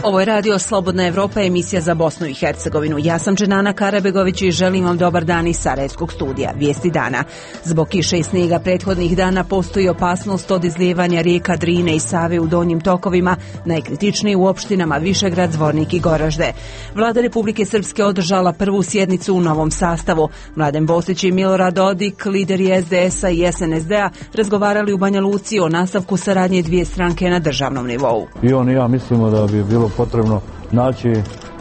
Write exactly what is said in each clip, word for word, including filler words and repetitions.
Ovo je radio Slobodna Evropa, emisija za Bosnu i Hercegovinu. Ja sam Dženana Karabegović i želim vam dobar dan iz Sarajevskog studija. Vijesti dana. Zbog kiše i snijega prethodnih dana postoji opasnost od izlijevanja rijeka Drine i Save u donjim tokovima, najkritičniji u opštinama Višegrad, Zvornik i Goražde. Vlada Republike Srpske održala prvu sjednicu u novom sastavu. Mladen Bosić i Milorad Dodik, lideri es de es a i es en es de a, razgovarali u Banja Luci o nastavku saradnje dvije stranke na državnom nivou. I on i ja mislimo da bi bilo potrebno naći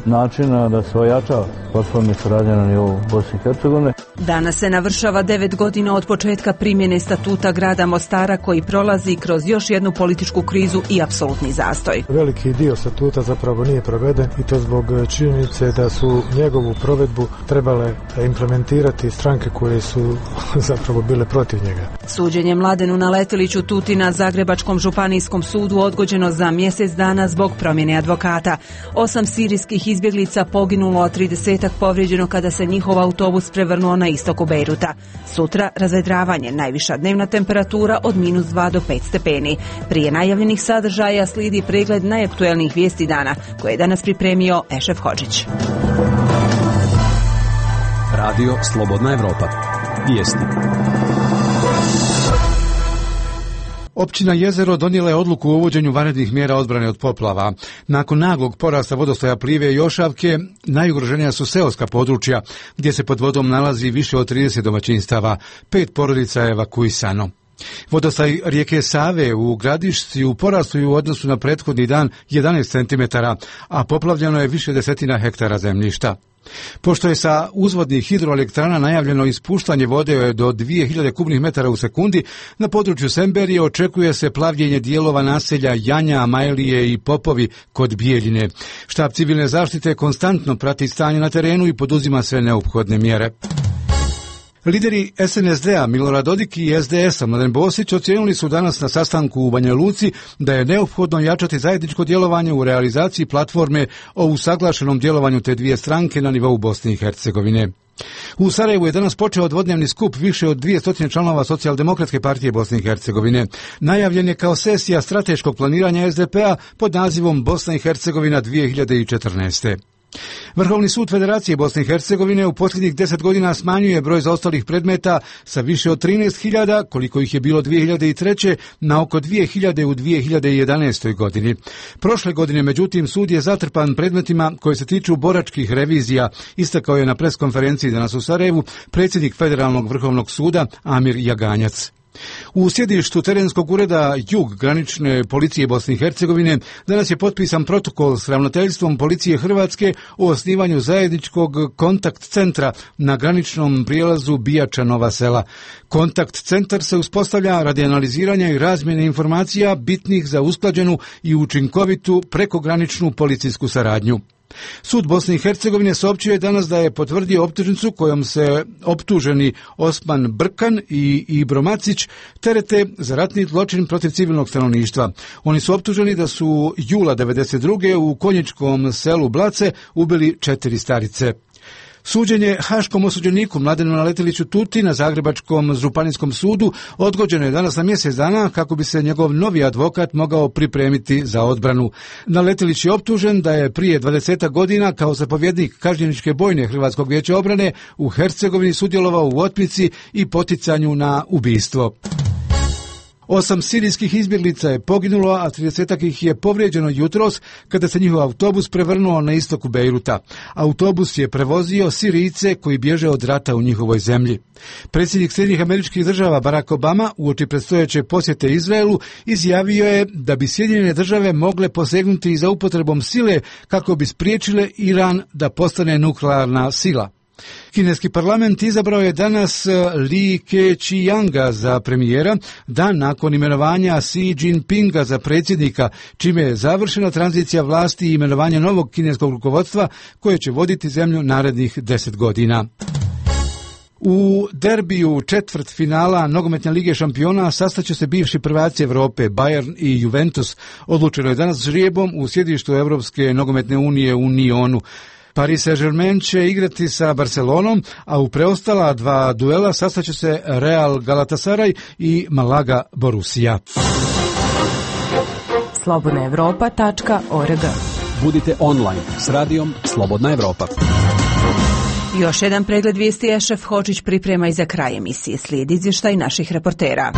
načina da se ojača poslovni saradnja na nivou Bosne i Hercegovine. Danas se navršava devet godina od početka primjene statuta grada Mostara, koji prolazi kroz još jednu političku krizu i apsolutni zastoj. Veliki dio statuta zapravo nije proveden i to zbog činjenice da su njegovu provedbu trebale implementirati stranke koje su zapravo bile protiv njega. Suđenje Mladenu Naleteliću Tuti na Zagrebačkom županijskom sudu odgođeno za mjesec dana zbog promjene advokata. Osam sirijskih izbjeglica poginulo, a tridesetak povrijeđeno kada se njihov autobus prevrnuo na istoku Bejruta. Sutra razvedravanje, najviša dnevna temperatura od minus dva do pet stepeni. Prije najavljenih sadržaja slijedi pregled najaktuelnijih vijesti dana, koje je danas pripremio Ešef Hodžić. Radio Slobodna Evropa. Vijesti. Općina Jezero donijela je odluku o uvođenju vanrednih mjera odbrane od poplava. Nakon naglog porasta vodostaja Plive i Ošavke, najugroženija su seoska područja, gdje se pod vodom nalazi više od trideset domaćinstava. Pet porodica je evakuisano. Vodostaj rijeke Save u Gradišci u porastu u odnosu na prethodni dan jedanaest centimetara, a poplavljeno je više desetina hektara zemljišta. Pošto je sa uzvodnih hidroelektrana najavljeno ispuštanje vode do dvije hiljade kubnih metara u sekundi, na području Semberije očekuje se plavljenje dijelova naselja Janja, Majlije i Popovi kod Bijeljine. Štab civilne zaštite konstantno prati stanje na terenu i poduzima sve neophodne mjere. Lideri es en es de a Milorad Dodik i es de es a Mladen Bosić ocijenili su danas na sastanku u Banja Luci da je neophodno jačati zajedničko djelovanje u realizaciji platforme o usaglašenom djelovanju te dvije stranke na nivou Bosne i Hercegovine. U Sarajevu je danas počeo dvodnevni skup više od dvjesto članova Socijaldemokratske partije Bosne i Hercegovine. Najavljen je kao sesija strateškog planiranja es de pe a pod nazivom Bosna i Hercegovina dvije hiljade četrnaeste. Vrhovni sud Federacije Bosne i Hercegovine u posljednjih deset godina smanjuje broj zaostalih predmeta sa više od trinaest hiljada, koliko ih je bilo dvije hiljade treće, na oko dvije hiljade u dvije hiljade jedanaestoj. godini. Prošle godine, međutim, sud je zatrpan predmetima koji se tiču boračkih revizija, istakao je na preskonferenciji danas u Sarajevu predsjednik Federalnog vrhovnog suda Amir Jaganjac. U sjedištu terenskog ureda Jug granične policije Bosne i Hercegovine danas je potpisan protokol s ravnateljstvom policije Hrvatske o osnivanju zajedničkog kontakt centra na graničnom prijelazu Bijača Nova Sela. Kontakt centar se uspostavlja radi analiziranja i razmjene informacija bitnih za usklađenu i učinkovitu prekograničnu policijsku saradnju. Sud Bosne i Hercegovine saopćio je danas da je potvrdio optužnicu kojom se optuženi Osman Brkan i Ibro Macić terete za ratni zločin protiv civilnog stanovništva. Oni su optuženi da su jula devedeset druge u konjičkom selu Blace ubili četiri starice. Suđenje haškom osuđeniku Mladenu Naleteliću Tuti na Zagrebačkom županijskom sudu odgođeno je danas na mjesec dana kako bi se njegov novi advokat mogao pripremiti za odbranu. Naletelić je optužen da je prije dvadeset godina kao zapovjednik kažnjeničke bojne Hrvatskog vijeća obrane u Hercegovini sudjelovao u otmici i poticanju na ubistvo. Osam sirijskih izbjeglica je poginulo, a tridesetak ih je povrijeđeno jutros kada se njihov autobus prevrnuo na istoku Bejruta. Autobus je prevozio Sirijce koji bježe od rata u njihovoj zemlji. Predsjednik Sjedinjenih Američkih Država Barack Obama uoči predstojeće posjete Izraelu izjavio je da bi Sjedinjene Države mogle posegnuti za upotrebom sile kako bi spriječile Iran da postane nuklearna sila. Kineski parlament izabrao je danas Li Keqianga za premijera, dan nakon imenovanja Xi Jinpinga za predsjednika, čime je završena tranzicija vlasti i imenovanje novog kineskog rukovodstva koje će voditi zemlju narednih deset godina. U derbiju četvrt finala nogometne lige šampiona sastaće se bivši prvaci Europe Bayern i Juventus. Odlučeno je danas žrijebom u sjedištu Europske nogometne unije u Nionu. Paris Saint-Germain će igrati sa Barcelonom, a u preostala dva duela sastaće se Real Galatasaray i Malaga Borussia. slobodna evropa tačka org Budite online s radijom Slobodna Evropa. Još jedan pregled vijesti Ešef Hočić priprema i za kraj emisije. Slijedi izvještaj naših reportera.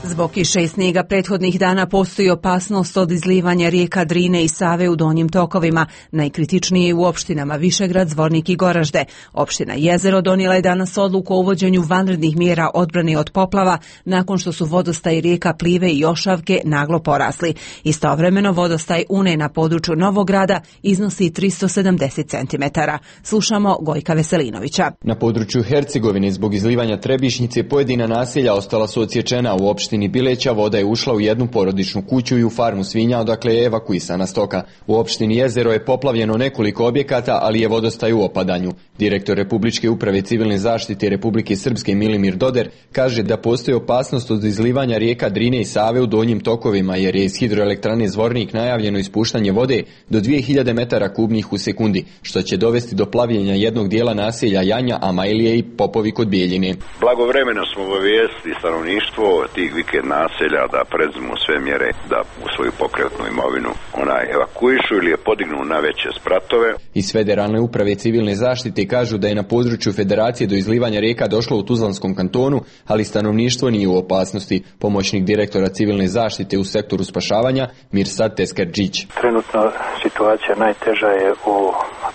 Zbog kiše i snijega prethodnih dana postoji opasnost od izlivanja rijeka Drine i Save u donjim tokovima, najkritičnije u opštinama Višegrad, Zvornik i Goražde. Opština Jezero donijela je danas odluku o uvođenju vanrednih mjera odbrane od poplava nakon što su vodostaj rijeka Plive i Jošavke naglo porasli. Istovremeno vodostaj Une na području Novog Grada iznosi tristo sedamdeset centimetara. Slušamo Gojka Veselinovića. Na području Hercegovine zbog izlivanja Trebišnjice pojedina naselja ostala su odsječena. U opštini Bileća voda je ušla u jednu porodičnu kuću i u farmu svinja, odakle je evakuisana stoka. U opštini Jezero je poplavljeno nekoliko objekata, ali je vodostaj u opadanju. Direktor Republičke uprave civilne zaštite Republike Srpske Milimir Doder kaže da postoji opasnost od izlivanja rijeka Drine i Save u donjim tokovima, jer je iz hidroelektrane Zvornik najavljeno ispuštanje vode do dvije hiljade metara kubnih u sekundi, što će dovesti do plavljenja jednog dijela naselja Janja, Amajlije i Popovi kod Bijeljine. Blagovremeno smo obavijestili stanovništvo tih vikend naselja da predzmu sve mjere da u svoju pokretnu imovinu onaj evakuišu ili je podignu na veće spratove. Iz Federalne uprave civilne zaštite kažu da je na području federacije do izlivanja rijeka došlo u Tuzlanskom kantonu, ali stanovništvo nije u opasnosti. Pomoćnik direktora civilne zaštite u sektoru spašavanja Mirsad Teskerđić. Trenutno situacija najteža je u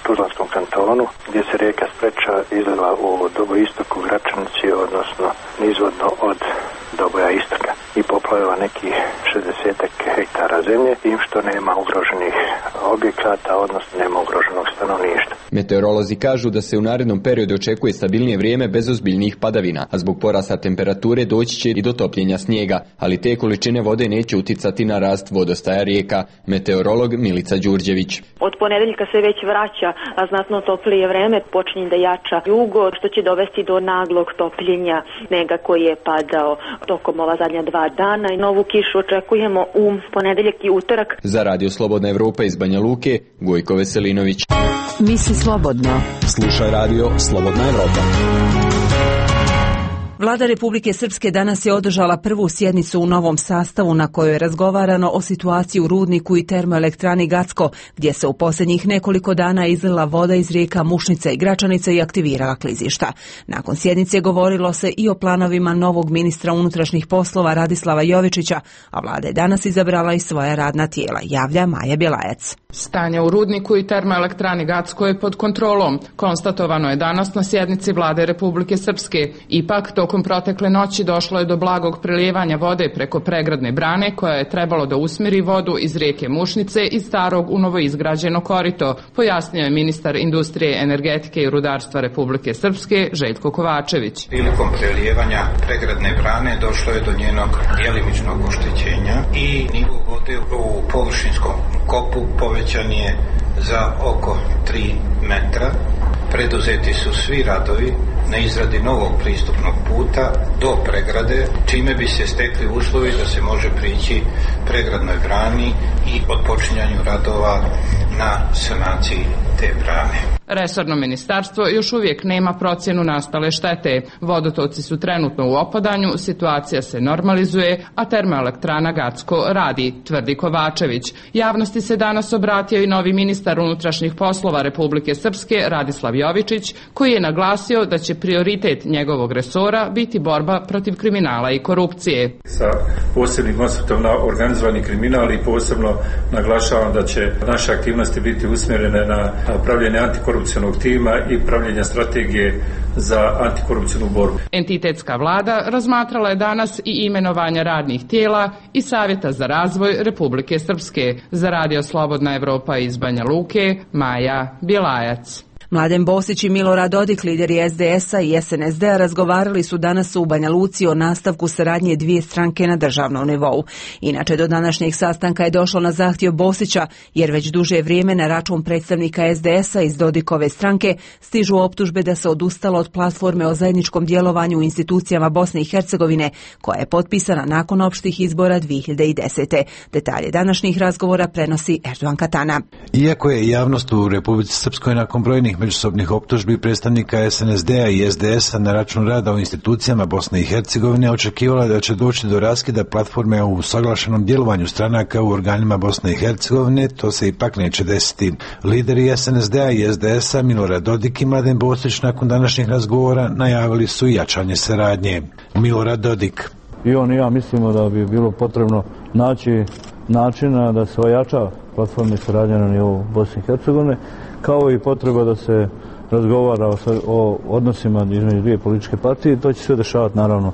Tuzlanskom kantonu, gdje se rijeka Spreča izliva u Doboistoku, Gračanici, odnosno nizvodno od Doboja Istoka i poplavila nekih šezdesetak hektara zemlje, tim što nema ugroženih objekata, odnosno nema ugroženog stanovništva. Meteorolozi kažu da se u narednom periodu očekuje stabilnije vrijeme bez ozbiljnijih padavina, a zbog porasta temperature doći će i do topljenja snijega, ali te količine vode neće uticati na rast vodostaja rijeka. Meteorolog Milica Đurđević. Od ponedeljka se već vraća, a znatno toplije vreme, počinje da jača jugo, što će dovesti do naglog topljenja snega koji je padao tokom ova zadnja dva dana i novu kišu očekujemo u ponedeljak i utorak. Za Radio Slobodna Evropa iz Banja Luke, Gojko Veselinović. Misli slobodno. Slušaj Radio Slobodna Evropa. Vlada Republike Srpske danas je održala prvu sjednicu u novom sastavu na kojoj je razgovarano o situaciji u rudniku i termoelektrani Gacko, gdje se u posljednjih nekoliko dana izlila voda iz rijeka Mušnica i Gračanica i aktivirala klizišta. Nakon sjednice govorilo se i o planovima novog ministra unutrašnjih poslova Radislava Jovičića, a vlada je danas izabrala i svoja radna tijela, javlja Maja Bjelajac. Stanje u rudniku i termoelektrani Gacko je pod kontrolom, konstatovano je danas na sjednici Vlade Republike Srpske. Ipak, tokom protekle noći došlo je do blagog prelijevanja vode preko pregradne brane koja je trebalo da usmjeri vodu iz rijeke Mušnice i starog u novoizgrađeno korito, pojasnio je ministar industrije, energetike i rudarstva Republike Srpske Željko Kovačević. Prilikom prelijevanja pregradne brane došlo je do njenog djelimičnog oštećenja i nivo vode u površinskom kopu povećan je za oko tri metra. Preduzeti su svi radovi na izradi novog pristupnog puta do pregrade, čime bi se stekli uslovi da se može prići pregradnoj brani i odpočinjanju radova na sanaciji te brane. Resorno ministarstvo još uvijek nema procjenu nastale štete. Vodotoci su trenutno u opadanju, situacija se normalizuje, a termoelektrana Gacko radi, tvrdi Kovačević. Javnosti se danas obratio i novi ministar unutrašnjih poslova Republike Srpske Radislav Jovičić, koji je naglasio da će prioritet njegovog resora biti borba protiv kriminala i korupcije. Sa posebnim osvrtom na organizovani kriminal i posebno naglašavam da će naše aktivnosti biti usmjerene na pravljenje antikorupcije tima i pravljenja strategije za antikorupcijnu borbu. Entitetska vlada razmatrala je danas i imenovanja radnih tijela i Savjeta za razvoj Republike Srpske. Za Radio Slobodna Evropa iz Banja Luke, Maja Bjelajac. Mladen Bosić i Milorad Dodik, lideri es de es-a i es en es de-a, razgovarali su danas u Banja Luci o nastavku saradnje dvije stranke na državnom nivou. Inače, do današnjeg sastanka je došlo na zahtjev Bosića, jer već duže vrijeme na račun predstavnika es de es-a iz Dodikove stranke stižu optužbe da se odustalo od platforme o zajedničkom djelovanju u institucijama Bosne i Hercegovine, koja je potpisana nakon opštih izbora dvije hiljade desete. Detalje današnjih razgovora prenosi Erdogan Katana. Iako je javnost u Republici Srpskoj nakon brojnih međusobnih optužbi predstavnika S N S D-a i S D S-a na račun rada u institucijama Bosne i Hercegovine očekivala da će doći do raskida platforme o usaglašenom djelovanju stranaka u organima Bosne i Hercegovine, to se ipak neće desiti. Lideri S N S D-a i S D S-a Milorad Dodik i Mladen Bosić nakon današnjih razgovora najavili su jačanje saradnje. Milorad Dodik. I on i ja mislimo da bi bilo potrebno naći načina da se ojača platforma saradnje na nivou Bosne i Hercegovine, kao i potreba da se razgovara o, o odnosima između dvije političke partije, to će se dešavati naravno.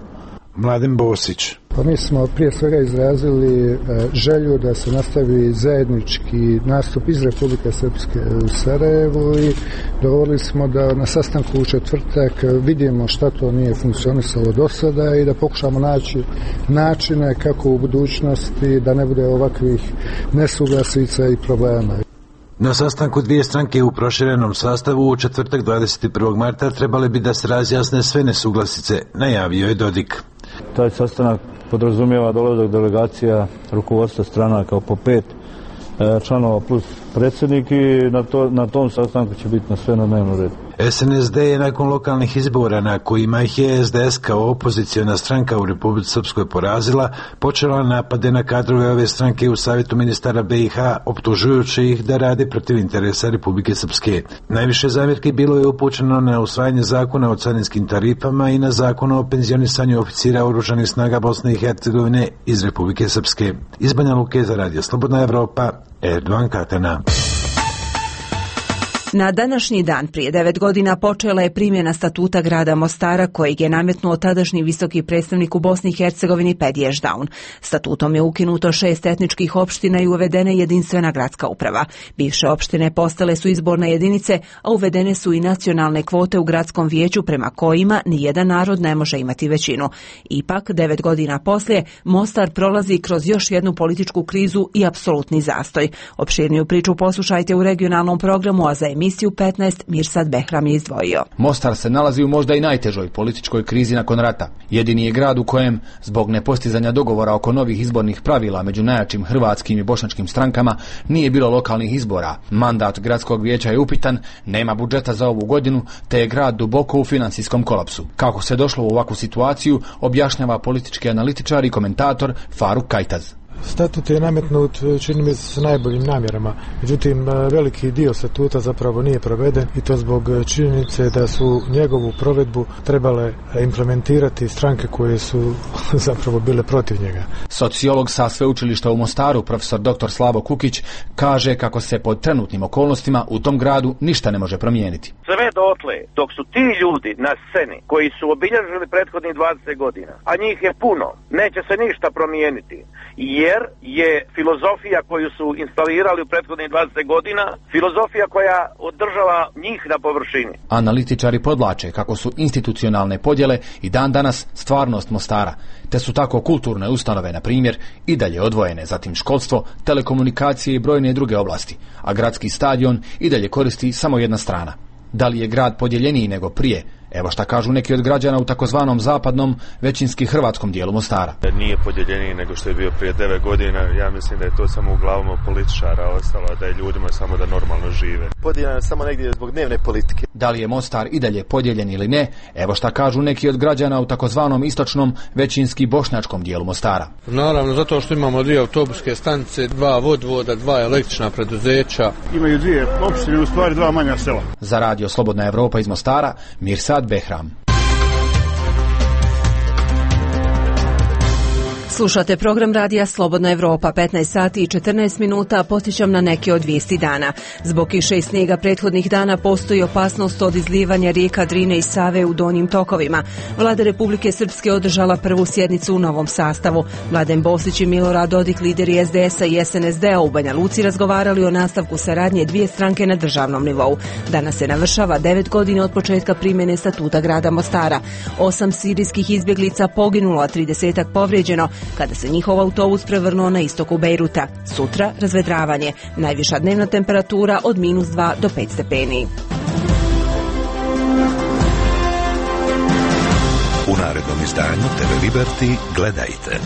Mladen Bosić. Pa mi smo prije svega izrazili e, želju da se nastavi zajednički nastup iz Republike Srpske u Sarajevu i dogovorili smo da na sastanku u četvrtak vidimo šta to nije funkcionisalo do sada i da pokušamo naći načine kako u budućnosti da ne bude ovakvih nesuglasica i problema. Na sastanku dvije stranke u proširenom sastavu u četvrtak dvadeset prvog marta trebali bi da se razjasne sve nesuglasice, najavio je Dodik. Taj sastanak podrazumijeva dolazak delegacija rukovodstva stranaka po pet e, članova plus predsjednik i na, to, na tom sastanku će biti na sve na dnevnom redu. S N S D je nakon lokalnih izbora na kojima ih je S D S kao opozicijona stranka u Republici Srpskoj porazila, počela napade na kadrove ove stranke u Savjetu ministara B i H, optužujući ih da rade protiv interesa Republike Srpske. Najviše zamjerki bilo je upućeno na usvajanje zakona o carinskim tarifama i na zakon o penzionisanju oficira oružanih snaga Bosne i Hercegovine iz Republike Srpske. Iz Banja Luke za Radio Slobodna Evropa, Erdogan Katana. Na današnji dan prije devet godina počela je primjena statuta grada Mostara kojeg je nametnuo tadašnji visoki predstavnik u Bosni i Hercegovini Pedi Ešdaun. Statutom je ukinuto šest etničkih opština i uvedena jedinstvena gradska uprava. Bivše opštine postale su izborne jedinice, a uvedene su i nacionalne kvote u gradskom vijeću prema kojima nijedan narod ne može imati većinu. Ipak, devet godina poslije, Mostar prolazi kroz još jednu političku krizu i apsolutni zastoj. Opširniju priču poslušajte u regionalnom programu, a za emisiju petnaest Mirsad Behram je izdvojio. Mostar se nalazi u možda i najtežoj političkoj krizi nakon rata. Jedini je grad u kojem, zbog nepostizanja dogovora oko novih izbornih pravila među najjačim hrvatskim i bošnjačkim strankama, nije bilo lokalnih izbora. Mandat gradskog vijeća je upitan, nema budžeta za ovu godinu, te je grad duboko u financijskom kolapsu. Kako se došlo u ovakvu situaciju, objašnjava politički analitičar i komentator Faruk Kajtaz. Statut je nametnut, čini mi se, s najboljim namjerama. Međutim, veliki dio statuta zapravo nije proveden i to zbog činjenice da su njegovu provedbu trebale implementirati stranke koje su zapravo bile protiv njega. Sociolog sa sveučilišta u Mostaru, profesor doktor Slavo Kukić, kaže kako se pod trenutnim okolnostima u tom gradu ništa ne može promijeniti. Sve dotle, dok su ti ljudi na sceni koji su obilježili prethodnih dvadeset godina, a njih je puno, neće se ništa promijeniti. Jer je filozofija koju su instalirali u prethodnih dvadeset godina filozofija koja održava njih na površini. Analitičari podlače kako su institucionalne podjele i dan danas stvarnost Mostara, te su tako kulturne ustanove, na primjer, i dalje odvojene, zatim školstvo, telekomunikacije i brojne druge oblasti, a gradski stadion i dalje koristi samo jedna strana. Da li je grad podjeljeniji nego prije? Evo šta kažu neki od građana u takozvanom zapadnom, većinski hrvatskom dijelu Mostara. Nije podjeljeniji nego što je bio prije devet godina. Ja mislim da je to samo u glavama političara ostalo, da je ljudima samo da normalno žive. Podijeljeno je samo negdje zbog dnevne politike. Da li je Mostar i dalje podijeljen ili ne? Evo šta kažu neki od građana u takozvanom istočnom, većinski bošnjačkom dijelu Mostara. Naravno, zato što imamo dvije autobuske stanice, dva vodvoda, dva električna preduzeća. Imaju dvije opštine, u stvari dva manja sela. Za Radio Slobodna Evropa iz Mostara, Mirsad Behram. Slušate program radija Slobodna Evropa, petnaest sati i četrnaest minuta, podsjećam na neke od vijesti dana. Zbog kiše i snijega prethodnih dana postoji opasnost od izlijevanja rijeka Drine i Save u donjim tokovima. Vlada Republike Srpske održala prvu sjednicu u novom sastavu. Mladen Bosić i Milorad Dodik, lideri S D S-a i S N S D-a u Banja Luci, razgovarali o nastavku saradnje dvije stranke na državnom nivou. Danas se navršava devet godina od početka primjene statuta grada Mostara. Osam sirijskih izbjeglica poginulo, a tridesetak povrijeđeno kada se njihov autobus prevrnuo na istoku Bejruta. Sutra razvedravanje. Najviša dnevna temperatura od minus dva do pet stepeni. U narednom izdanju T V Liberty gledajte.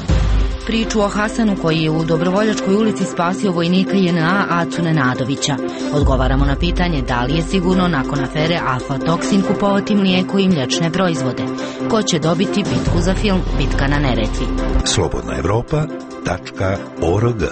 priču o Hasanu koji je u Dobrovoljačkoj ulici spasio vojnika J N A Acu Nenadovića. Odgovaramo na pitanje da li je sigurno nakon afere aflatoksin kupovati mlijeko i mliječne proizvode. Ko će dobiti bitku za film Bitka na Neretvi? slobodna evropa tačka org.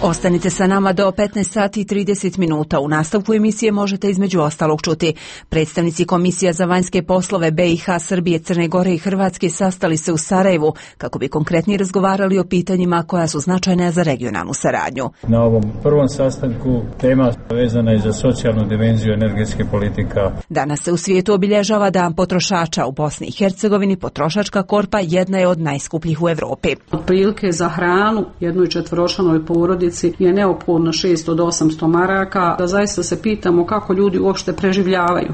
Ostanite sa nama do petnaest sati i trideset minuta. U nastavku emisije možete između ostalog čuti. Predstavnici Komisija za vanjske poslove B i H, Srbije, Crne Gore i Hrvatske sastali se u Sarajevu kako bi konkretnije razgovarali o pitanjima koja su značajna za regionalnu saradnju. Na ovom prvom sastanku tema vezana je za socijalnu dimenziju energetske politika. Danas se u svijetu obilježava Dan potrošača. U Bosni i Hercegovini potrošačka korpa jedna je od najskupljih u Evropi. Otprilike za hranu jednoj četvoročlanoj porodici je neophodno šesto do osamsto maraka, da zaista se pitamo kako ljudi uopšte preživljavaju.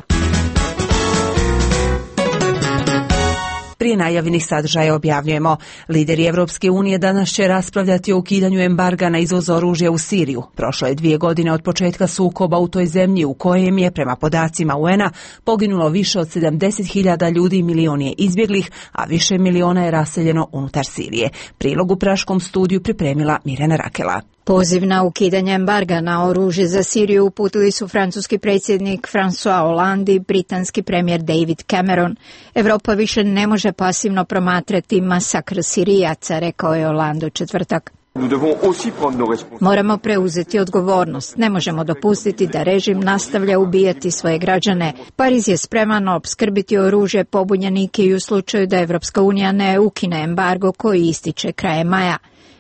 Prije najavljenih sadržaja objavljujemo. Lideri Evropske unije danas će raspravljati o ukidanju embarga na izvoz oružja u Siriju. Prošlo je dvije godine od početka sukoba u toj zemlji u kojem je, prema podacima U N a, poginulo više od sedamdeset hiljada ljudi i milion je izbjeglih, a više miliona je raseljeno unutar Sirije. Prilog u praškom studiju pripremila Mirjana Rakela. Poziv na ukidanje embarga na oružje za Siriju uputili su francuski predsjednik François Hollande i britanski premijer David Cameron. Evropa više ne može pasivno promatrati masakr Sirijaca, rekao je Hollande u četvrtak. Moramo preuzeti odgovornost. Ne možemo dopustiti da režim nastavlja ubijati svoje građane. Pariz je spreman opskrbiti oružje pobunjenike i u slučaju da Evropska unija ne ukine embargo koji ističe krajem maja.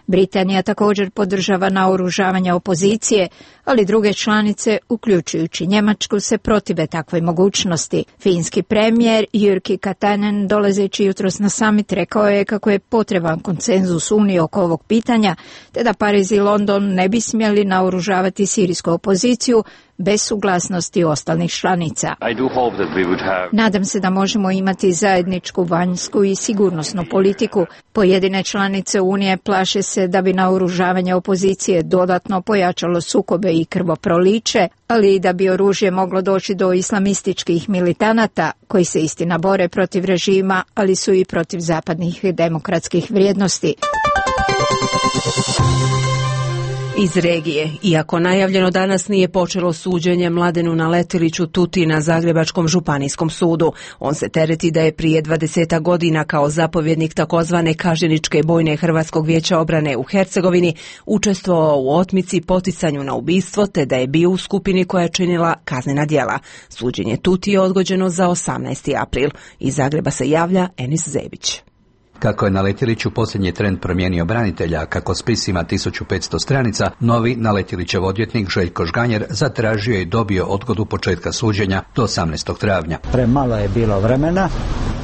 Britanija također podržava naoružavanje opozicije, ali druge članice, uključujući Njemačku, se protive takvoj mogućnosti. Finski premijer Jyrki Katainen, dolazeći jutros na summit, rekao je kako je potreban konsenzus Unije oko ovog pitanja, te da Pariz i London ne bi smjeli naoružavati sirijsku opoziciju bez suglasnosti ostalih članica. Have... Nadam se da možemo imati zajedničku vanjsku i sigurnosnu politiku. Pojedine članice Unije plaše se da bi naoružavanje opozicije dodatno pojačalo sukobe i krvoproliće, ali i da bi oružje moglo doći do islamističkih militanata koji se istina bore protiv režima, ali su i protiv zapadnih demokratskih vrijednosti. Iz regije, iako najavljeno danas nije počelo suđenje Mladenu Naletiliću Tuti na Zagrebačkom županijskom sudu. On se tereti da je prije dvadeset godina kao zapovjednik takozvane kažnjeničke bojne Hrvatskog vijeća obrane u Hercegovini učestvovao u otmici, poticanju na ubistvo, te da je bio u skupini koja je činila kaznena djela. Suđenje Tuti je odgođeno za osamnaesti april. Iz Zagreba se javlja Enis Zebić. Kako je Naletilić u posljednji tren promijenio branitelja, kako spis ima tisuću petsto stranica, novi Naletilićev odvjetnik Željko Žganjer zatražio i dobio odgodu početka suđenja do osamnaestog travnja. Premalo je bilo vremena,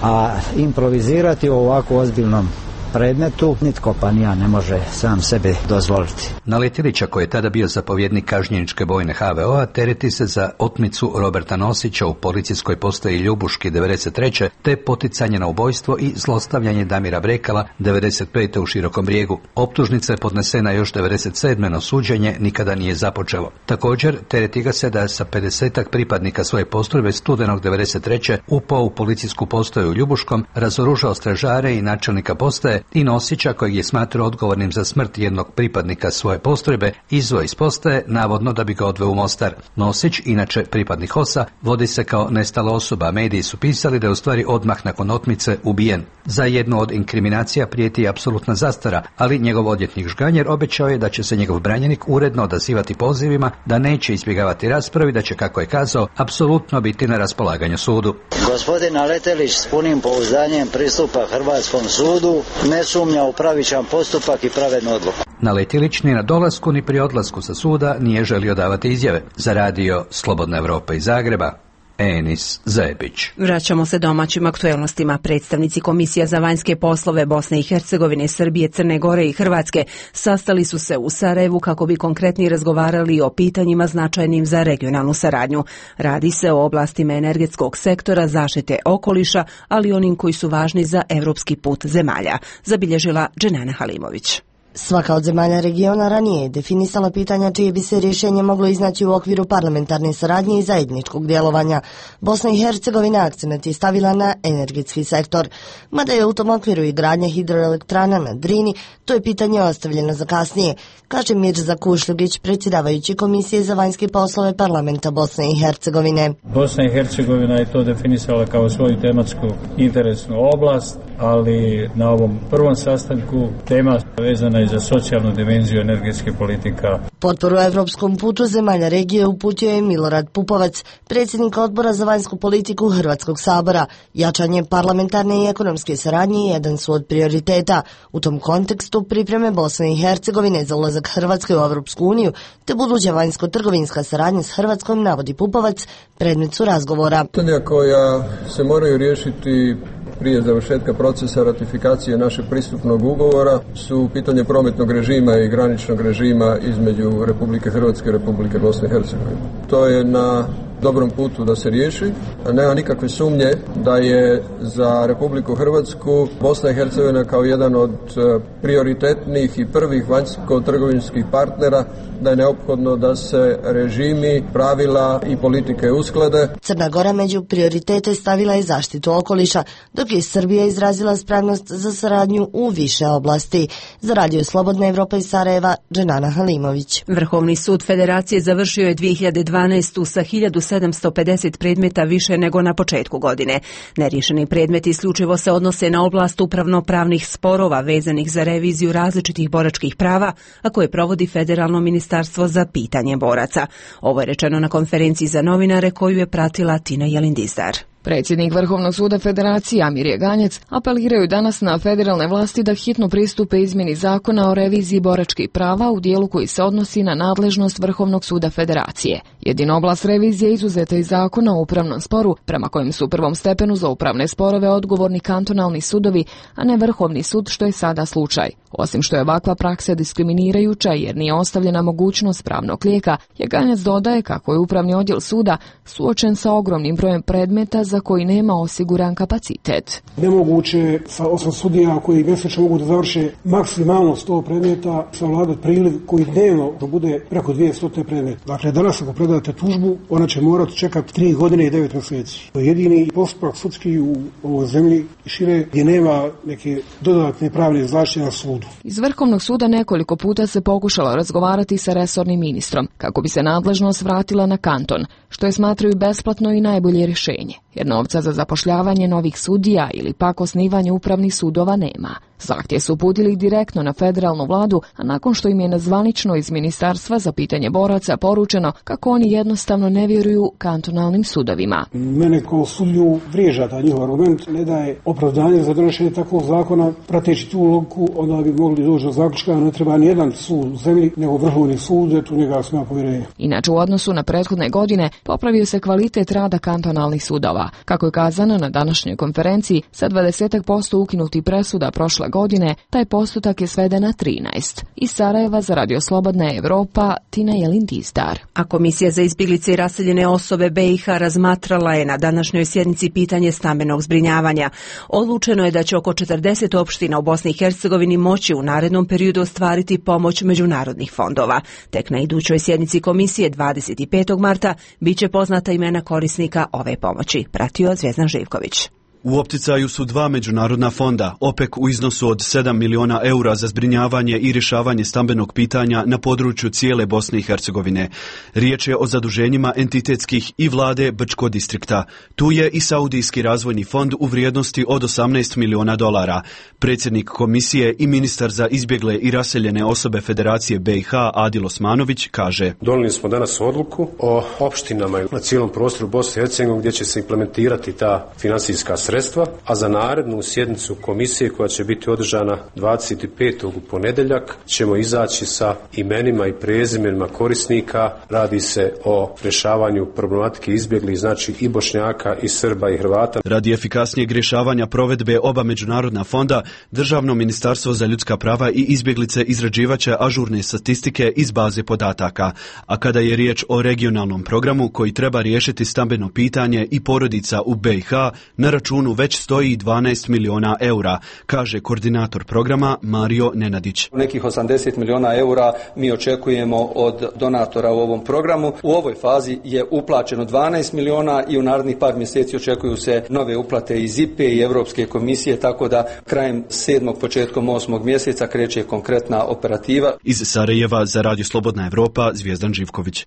a improvizirati u ovako ozbiljnom predmetu nitko pa ni ja ne može sam sebi dozvoliti. Naletilića, koji je tada bio zapovjednik kažnjeničke bojne H V O-a, tereti se za otmicu Roberta Nosića u policijskoj postaji Ljubuški devedeset treće te poticanje na ubojstvo i zlostavljanje Damira Brekala devedeset pete u Širokom Brijegu. Optužnica je podnesena još devedeset sedme no suđenje nikada nije započelo. Također, tereti ga se da je sa pedesetak pripadnika svoje postrojbe studenog devedeset treće upao u policijsku postaju u Ljubuškom, razoružao stražare i načelnika postaje i Nosića, kojeg je smatrao odgovornim za smrt jednog pripadnika svoje postrojbe, izveo iz postaje, navodno da bi ga odveo u Mostar. Nosić, inače pripadnik H O S-a, vodi se kao nestala osoba. Mediji su pisali da je u stvari odmah nakon otmice ubijen. Za jednu od inkriminacija prijeti apsolutna zastara, ali njegov odvjetnik Žganjer obećao je da će se njegov branjenik uredno odazivati pozivima, da neće izbjegavati raspravi, da će, kako je kazao, apsolutno biti na raspolaganju sudu. Gospodin Naletilić s punim pouzdanjem pristupa Hrvatskom sudu, ne sumnja u pravičan postupak i pravednu odluku. Naletilić ni na dolasku ni pri odlasku sa suda nije želio davati izjave. Za radio Slobodna Evropa iz Zagreba, Enis Zebić. Vraćamo se domaćim aktuelnostima. Predstavnici Komisija za vanjske poslove Bosne i Hercegovine, Srbije, Crne Gore i Hrvatske sastali su se u Sarajevu kako bi konkretnije razgovarali o pitanjima značajnim za regionalnu saradnju. Radi se o oblastima energetskog sektora, zaštite okoliša, ali onim koji su važni za evropski put zemalja, zabilježila Dženana Halimović. Svaka od zemalja regiona ranije je definisala pitanja čije bi se rješenje moglo iznaći u okviru parlamentarne saradnje i zajedničkog djelovanja. Bosna i Hercegovina akcenat je stavila na energetski sektor. Mada je u tom okviru i gradnja hidroelektrana na Drini, to je pitanje ostavljeno za kasnije, kaže Mirza Kušljugić, predsjedavajući Komisije za vanjske poslove parlamenta Bosne i Hercegovine. Bosna i Hercegovina je to definisala kao svoju tematsku interesnu oblast, ali na ovom prvom sastanku tema vezana je za socijalnu dimenziju energetske politika. Potporu evropskom putu zemalja regije uputio je Milorad Pupovac, predsjednik odbora za vanjsku politiku Hrvatskog sabora. Jačanje parlamentarne i ekonomske saradnje jedan su od prioriteta. U tom kontekstu pripreme Bosne i Hercegovine za ulazak Hrvatske u Evropsku uniju te buduća vanjsko-trgovinska saradnja s Hrvatskom, navodi Pupovac, predmet su razgovora. Pitanja koja se moraju riješiti prije završetka procesa ratifikacije našeg pristupnog ugovora su pitanje prometnog režima i graničnog režima između Republike Hrvatske i Republike Bosne i Hercegovine. To je na dobrom putu da se riješi, a nema nikakve sumnje da je za Republiku Hrvatsku Bosna i Hercegovina kao jedan od prioritetnih i prvih vanjsko-trgovinskih partnera, da je neophodno da se režimi, pravila i politike usklade. Crna Gora među prioritete stavila je zaštitu okoliša, dok je Srbija izrazila spremnost za saradnju u više oblasti. Za Radio Slobodna Evropa iz Sarajeva, Dženana Halimović. Vrhovni sud Federacije završio je dvije hiljade dvanaeste. sa hiljadu sedamsto pedeset predmeta više nego na početku godine. Neriješeni predmeti isključivo se odnose na oblast upravno-pravnih sporova vezanih za reviziju različitih boračkih prava, a koje provodi Federalno ministarstvo za pitanje boraca. Ovo je rečeno na konferenciji za novinare koju je pratila Tina Jelindizdar. Predsjednik Vrhovnog suda Federacije Amir Jeganjec apeliraju danas na federalne vlasti da hitno pristupe izmjeni zakona o reviziji boračkih prava u dijelu koji se odnosi na nadležnost Vrhovnog suda Federacije. Jedina oblast revizije izuzeta iz zakona o upravnom sporu, prema kojem su u prvom stepenu za upravne sporove odgovorni kantonalni sudovi, a ne Vrhovni sud, što je sada slučaj. Osim što je ovakva praksa diskriminirajuća jer nije ostavljena mogućnost pravnog lijeka, Jeganjec dodaje kako je upravni odjel suda suočen sa ogromnim brojem predmeta za koji nema osiguran kapacitet. Nemoguće sa osam sudija koji mjesečno mogu da završe maksimalno sto predmeta savladati priliv koji dnevno da bude preko dvjesto predmeta. Dakle, danas ako predate tužbu, ona će morati čekati tri godine i devet mjeseci. To je jedini postupak sudski u ovoj zemlji i šire gdje nema neke dodatne pravne zaštite na sudu. Iz Vrhovnog suda nekoliko puta se pokušalo razgovarati sa resornim ministrom kako bi se nadležnost vratila na kanton, što je smatraju besplatno i najbolje rješenje, jer novca za zapošljavanje novih sudija ili pak osnivanje upravnih sudova nema. Zahtjev su uputili direktno na federalnu vladu, a nakon što im je nezvanično iz Ministarstva za pitanje boraca poručeno kako oni jednostavno ne vjeruju kantonalnim sudovima. Mene kao sudiju vrijeđa taj njihov argument, ne daje opravdanje za donošenje takvog zakona. Prateći tu logiku, onda bi mogli doći do zaključka, ne treba ni jedan sud u zemlji, nego Vrhovni sud, eto njega sam ja povjerenje. Inače, u odnosu na prethodne godine popravio se kvalitet rada kantonalnih sudova. Kako je kazano na današnjoj konferenciji, sa dvadeset posto ukinuti presuda prošle godine, taj postotak je sveden na trinaest. Iz Sarajeva za Radio Slobodna Evropa, Tina Jelindizdar. A Komisija za izbjeglice i raseljene osobe B i H razmatrala je na današnjoj sjednici pitanje stambenog zbrinjavanja. Odlučeno je da će oko četrdeset opština u Bosni i Hercegovini moći u narednom periodu ostvariti pomoć međunarodnih fondova. Tek na idućoj sjednici komisije dvadeset petog marta bit će poznata imena korisnika ove pomoći. Pratio Zvjezdan Živković. U opticaju su dva međunarodna fonda, OPEC u iznosu od sedam miliona eura za zbrinjavanje i rješavanje stambenog pitanja na području cijele Bosne i Hercegovine. Riječ je o zaduženjima entitetskih i vlade Brčko distrikta. Tu je i Saudijski razvojni fond u vrijednosti od osamnaest miliona dolara. Predsjednik komisije i ministar za izbjegle i raseljene osobe Federacije B i H Adil Osmanović kaže: Donijeli smo danas odluku o opštinama na cijelom prostoru Bosne i Hercegovine gdje će se implementirati ta financijska sredstva. Sredstva, a za narednu sjednicu komisije koja će biti održana dvadeset petog u ponedjeljak ćemo izaći sa imenima i prezimenima korisnika. Radi se o rješavanju problematike izbjeglih, znači i Bošnjaka i Srba i Hrvata. Radi efikasnijeg rješavanja provedbe oba međunarodna fonda, Državno ministarstvo za ljudska prava i izbjeglice izrađivaće ažurne statistike iz baze podataka, a kada je riječ o regionalnom programu koji treba riješiti stambeno pitanje i porodica u B i H, na računu računu već stoji dvanaest miliona eura, kaže koordinator programa Mario Nenadić. Nekih osamdeset miliona eura mi očekujemo od donatora u ovom programu. U ovoj fazi je uplaćeno dvanaest miliona i u narednih par mjeseci očekuju se nove uplate iz I P E i Europske komisije, tako da krajem sedmog, početkom osmog mjeseca kreće konkretna operativa. Iz Sarajeva za Radio Slobodna Evropa, Zvijezdan Živković.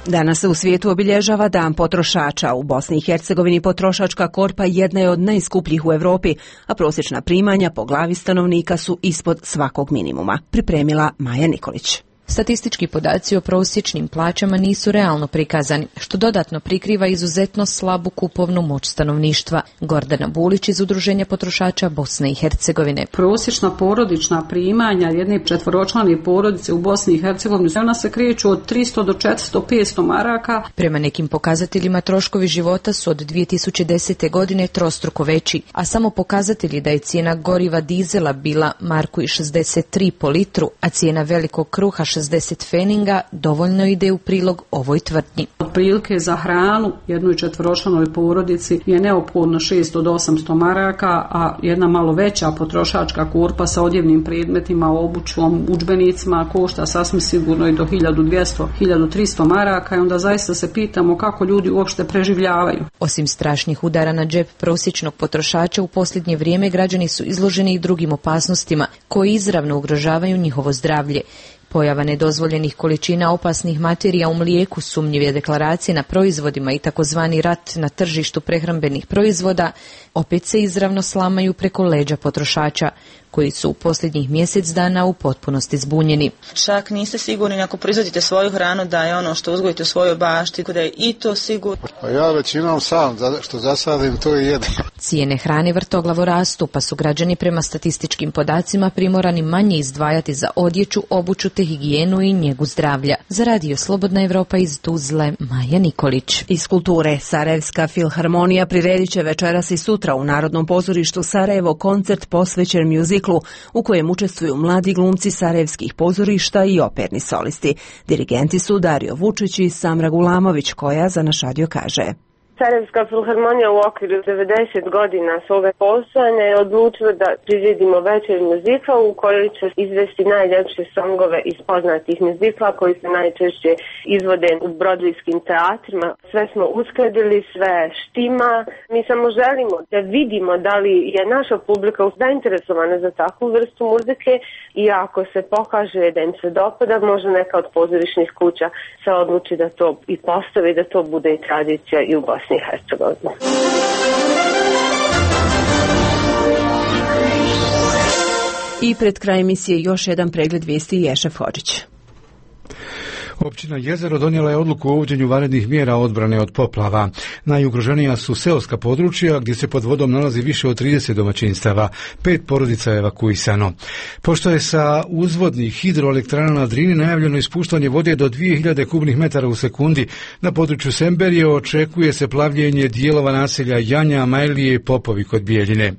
Danas se u svijetu obilježava Dan potrošača. U Bosni i Hercegovini potrošačka korpa jedna je od najskupljih u Europi, a prosječna primanja po glavi stanovnika su ispod svakog minimuma. Pripremila Maja Nikolić. Statistički podaci o prosječnim plaćama nisu realno prikazani, što dodatno prikriva izuzetno slabu kupovnu moć stanovništva. Gordana Bulić iz Udruženja potrošača Bosne i Hercegovine. Prosječna porodična primanja jedne četvoročlane porodice u Bosni i Hercegovini, ona se kreću od tristo do četiristo petsto maraka. Prema nekim pokazateljima troškovi života su od dvije tisuće desete. godine trostruko veći, a samo pokazatelji da je cijena goriva dizela bila marku i šezdeset tri po litru, a cijena velikog kruha šezdeset feninga dovoljno ide u prilog ovoj tvrdnji. Otprilike za hranu jednoj četvoročlanoj porodici je neophodno šesto do osamsto maraka, a jedna malo veća potrošačka korpa sa odjevnim predmetima, obućom, udžbenicima košta sasvim sigurno i do hiljadu dvjesto do hiljadu tristo maraka i onda zaista se pitamo kako ljudi uopšte preživljavaju. Osim strašnih udara na džep prosječnog potrošača, u posljednje vrijeme građani su izloženi i drugim opasnostima koji izravno ugrožavaju njihovo zdravlje. Pojava nedozvoljenih količina opasnih materija u mlijeku, sumnjive deklaracije na proizvodima i takozvani rat na tržištu prehrambenih proizvoda opet se izravno slamaju preko leđa potrošača, koji su u posljednjih mjesec dana u potpunosti zbunjeni. Čak niste sigurni ako proizvodite svoju hranu da je ono što uzgojite u svojoj bašti, da je i to sigurno. Pa ja većinom sam što zasadim to i jedem. Cijene hrane vrtoglavo rastu, pa su građani prema statističkim podacima primorani manje izdvajati za odjeću, obuću te higijenu i njegu zdravlja. Za Radio Slobodna Evropa iz Tuzle, Maja Nikolić. Iz kulture, Sarajevska filharmonija priredit će večeras i sutra u Narodnom pozorištu Sarajevo koncert posvećen muziklu u kojem učestvuju mladi glumci sarajevskih pozorišta i operni solisti. Dirigenti su Dario Vučić i Samra Gulamović, koja za naš radio kaže: Sarajevska filharmonija u okviru devedeset godina svoga postojanja je odlučila da priredimo večer muzikla u kojoj će izvesti najljepše songove iz poznatih muzikla koji se najčešće izvode u brodvijskim teatrima. Sve smo uskladili, sve štima. Mi samo želimo da vidimo da li je naša publika zainteresovana za takvu vrstu muzike i ako se pokaže da im se dopada, može neka od pozorišnih kuća se odluči da to i postavi, da to bude i tradicija i u Bosni i Hercegovini. I pred kraj emisije još jedan pregled vijesti Ješef Hodžić. Općina Jezero donijela je odluku o uvođenju vanrednih mjera odbrane od poplava. Najugroženija su seoska područja gdje se pod vodom nalazi više od trideset domaćinstava. Pet porodica je evakuisano. Pošto je sa uzvodnih hidroelektrana na Drini najavljeno ispuštanje vode do dvije hiljade kubnih metara u sekundi, na području Semberije očekuje se plavljenje dijelova naselja Janja, Majlije i Popovi kod Bijeljine.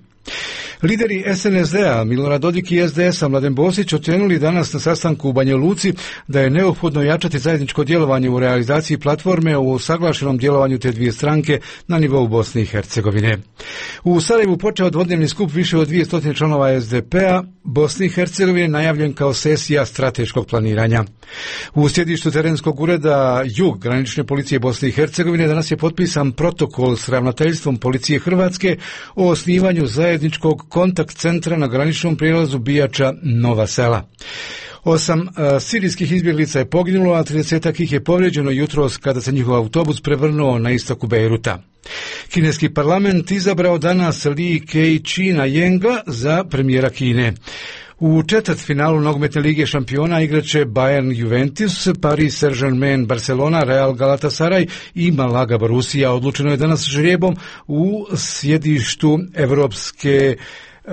Lideri S N S D-a Milorad Dodik i S D S-a Mladen Bosić ocijenili danas na sastanku u Banja Luci da je neophodno jačati zajedničko djelovanje u realizaciji platforme o usaglašenom djelovanju te dvije stranke na nivou Bosne i Hercegovine. U Sarajevu počeo dvodnevni skup više od dvjesto članova S D P-a Bosne i Hercegovine najavljen kao sesija strateškog planiranja. U sjedištu terenskog ureda Jug granične policije Bosne i Hercegovine danas je potpisan protokol s ravnateljstvom policije Hrvatske o osnivanju zajedničkog kontakt centra na graničnom prijelazu Bijača Nova Sela. Osam uh, sirijskih izbjeglica je poginulo, a tridesetak ih je povrijeđeno jutros kada se njihov autobus prevrnuo na istoku Bejruta. Kineski parlament izabrao danas Li Keqiang Yenga za premijera Kine. U četvrtfinalu nogometne lige šampiona igraće Bayern Juventus, Paris Saint-Germain Barcelona, Real Galatasaray i Malaga Borussia. Odlučeno je danas žrijebom u sjedištu Evropske Uh,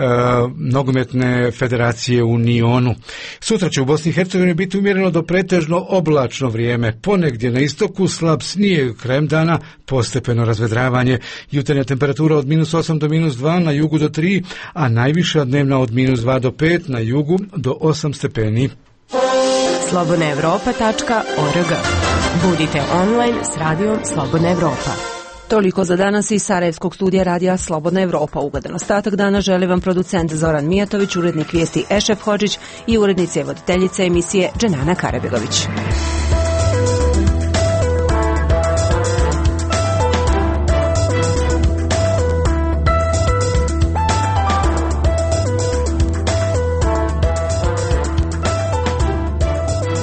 nogometne federacije u Nionu. Sutra će u Bosni i Hercegovini biti umjereno do pretežno oblačno vrijeme. Ponegdje na istoku slab snijeg, krajem dana postepeno razvedravanje. Jutarnja temperatura od minus osam do minus dva, na jugu do tri, a najviša dnevna od minus dva do pet, na jugu do osam stepeni. slobodna evropa tačka org. Budite online s radijom Slobodna Evropa. Toliko za danas iz Sarajevskog studija radija Slobodna Evropa. Ugodan ostatak dana želi vam producent Zoran Mijatović, urednik vijesti Ešef Hodžić i urednica i voditeljica emisije Dženana Karabegović.